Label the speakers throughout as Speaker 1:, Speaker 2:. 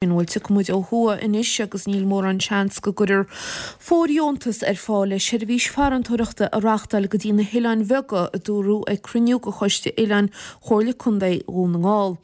Speaker 1: Bhuel tiocfaidh muid ó thuaidh anois agus níl mórán seans go gcuirfear fóirdheontas ar fáil le seirbhís farantóireachta a reáchtáil go dtí na hoileáin bheaga, a dúradh ag cruinniú de Choiste Oileáin Chomhairle Contae Dhún na nGall.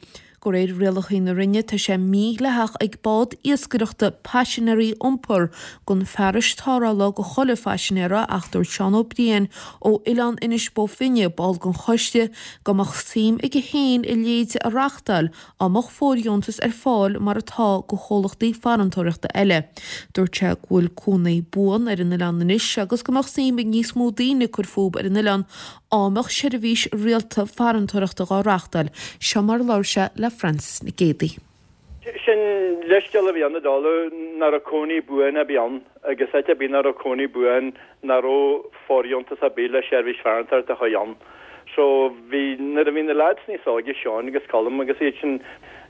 Speaker 1: De réir rialacha na Roinne tá sé mídhleathach ag bád iascaireachta paisinéirí a iompar gan fearais tarrthála do chuile phaisinéara ach dúirt Seán Ó Briain ó Oileán Inis Bó Finne, ball den choiste, go mbeadh suim aige féin a leithéid a reáchtáil Dá mbeadh fóirdheontas ar fáil mar atá do chomhlachtaí farantóireachta eile. Dúirt sé go bhfuil cónaí buan ar an oileán anois agus go mbeadh suim ag níos mó daoine cur fúb ar an oileán dá mbeadh seirbhís rialta farantóireachta dhá reáchtáil. Seo mar a labhair sé le Frances Nic Géadaigh.
Speaker 2: Sin leithscéal a bhí ann i dtólamh nach raibh cónaí buan ar bith ann agus áit ar bith nach raibh cónaí buan nach raibh fóirdheontas ar bith le seirbhís farantóireachta a chur ann. So bhí, nuair a bhí na lads níos óige, Seán agus Colm agus iad sin,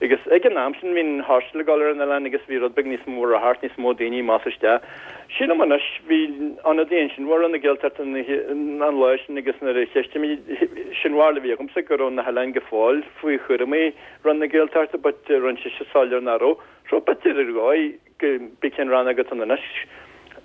Speaker 2: agus ag an am sin bhí an hostel ag dul ar an oileán agus bhí rud beag níos mó ráchairt, níos mó daoine amach is isteach. Sílim anois, bhí ionadaí ansin ó Roinn na Gaeltachta an lá sin agus nuair a cheistigh mé, sin barúil a bhí agamsa go raibh na hoileáin go fóill faoi chúramaí Roinn na Gaeltachta but rinne sise soiléir nach raibh. So b'fhéidir ar dhóigh go bith cén rannóg atá ann anois,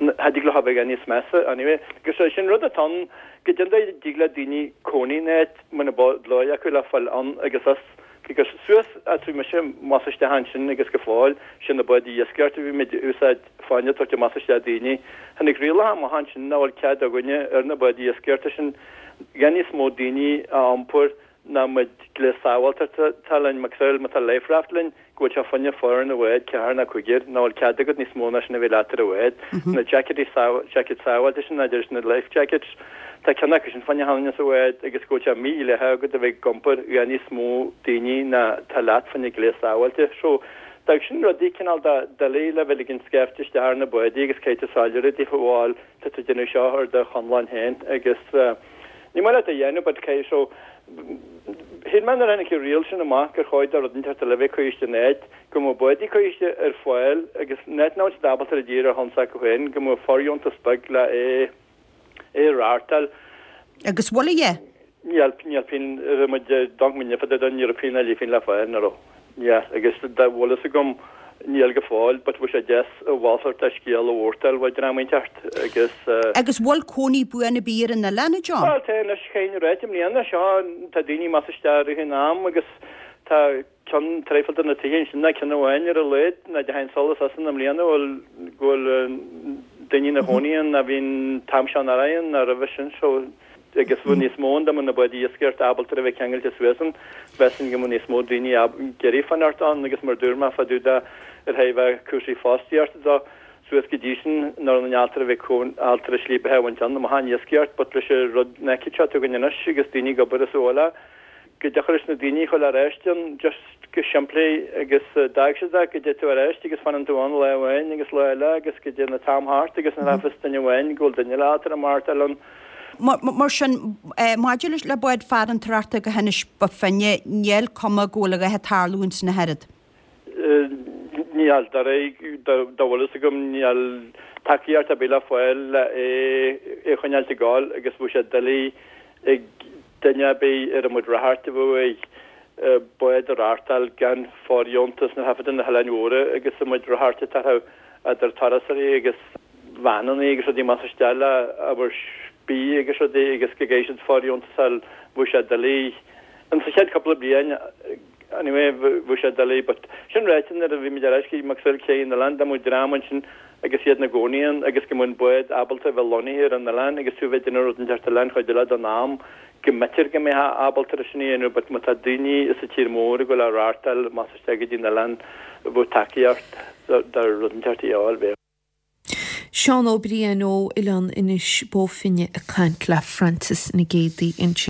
Speaker 2: cha dtig leo a bheith níos measa anyway. Agus é sin rud atá ann, goidé an dóigh a dtig le daoine cónaí in áit muna bhfuil dóigh acu le fáil ann agus as, because suas as bhí mise amach is isteach ansin agus go fóill, sin na báid iascaireachta a bhí muid a úsáid fá choinne tabhairt amach is isteach daoine. Tháinig rialacha amach ansin nach bhfuil cead againne ar na báid iascaireachta sin gan níos mó daoine a iompar ná muid gléas sábháilteachta atá linn, macasamhail má tá life raft linn, go bhfuil sé fá choinne foireann an bháid, ceathrar nó cúigear, nach bhfuil cead agat níos mó ná sin a bheith leat ar an bhád. Na jacketí jackets sábháilte sin, a deir na life jackets, tá ceann acu sin fá choinne achan duine sa bhád agus go bhfuil sé mídhleathach agat a bheith ag iompar i bhfad níos mó daoine ná tá leat fá choinne gléas sábháilte. So, d'fhág sin rudaí cineál de doiligh le bheith ag scaifte isteach ar na bádaí agus caithfidh tú soiléiriú daofa bhal tá tú ag déanamh seo ar do chonlán féin agus ní maith leat a dhéanamh but caithfidh so shíl mé nuair a tháinig an riail sin amach gur chóir do rud inteacht eile a bheith curtha in áit go mbeadh bádaí curtha ar fáil agus in áit nach bhfuil siad ábalta ar a dtír ar shon s'acu féin go mbeadh fóirdheontas beag le é é a reáchtáil.
Speaker 3: Agus bhfuil a dhath?
Speaker 2: Níl, níl pingin, raibh muid donc muid fada don European a lífín le fáil, ní raibh. Níl, agus dá bhfuil fhios agam, níl go fóill, but bheadh sé deas a mhalairt de scéal a mhórtáil uaidh dream inteacht agus.
Speaker 3: Agus bhfuil cónaí buan ar bith ar an oileán, a John?
Speaker 2: Bhuel, tá anois, chaithfinn a ráit, i mbliana seo, tá daoine amach is isteach i rith an am agus tá ceann traidhfil de na tithe ansin, ná ceann amháin ar a laghad, ná deamhan solas as ann i mbliana, bhfuil, go bhfuil daoine ina chónaí ann ná bhí an t-am seo anuraidh ann ná roimhe sin, so. agus bheadh níos mó ann dá mbeadh na báid iascaireachta ábalta a bheith ceangailte suas ann, mheasfainn go mbeadh níos mó daoine ag iarraidh fanacht ann agus mar dúirt mé fá dtaobh de ar thaobh cúrsaí fostaíochta de, suas go dtí sin nach raibh ábalta a bheith ábalta slí beatha a bhaint ann amach an iascaireacht but leis an rud an fhaic seo atá againn anois agus daoine ag obair as abhaile go dtiocfadh leis na daoine a dhul ar ais ann just go simplí agus d'fhág siad é go dté tú ar ais agus fanann tú ann lá amháin agus lá eile agus go dtéann an t-am thart agus nuair a fios duine amháin go bhfuil duine eile ábalta maireachtáil ann.
Speaker 3: Mar sin, maidir le bád farantóireachta go hInis Bó Finne, níl cuma go bhfuil a dhath ag tarlú ins na hoiread.
Speaker 2: Níl, de réir dá bhfuil fhios agam, níl tacaíocht ar bith le fáil le é a choinneáilt ag gabháil agus bheadh sé doiligh ag duine ar bith ar a mbeadh ráchairt a bheadh ag bád a reáchtáil gan fóirdheontas na thaifeadta na hOileáin Mhóra agus a mbeadh ráchairt ag tarlú idir turasóirí agus veaineanna agus rudaí amach is isteach le ábhar bídh agus rudaí agus go gcaithfidh siad fóirdheontas a fháil bheadh sé doiligh in sa chéad cúpla bliain anyway bheadh sé doiligh but sin ráite nuair a bhí muid ar ais go macasamhail cé an oileán dá mbeadh dream ansin agus iad ina gcónaí ann agus go mbeadh an bád ábalta a bheith lonnaithe ar an oileán agus tú a bheith ag déanamh rud inteacht eile an chuid eile den am go mb'fhéidir go mbeifeá ábalta ar sin a dhéanamh but má tá daoine sa tír mór ag dul a reáchtáil amach is isteach go dtí an oileán bheadh tacaíocht do rud inteacht a fháil bheadh.
Speaker 1: Seán Ó Briain ó Oileán Inis Bó Finne ag caint le Frances Nic Géadaigh ansin.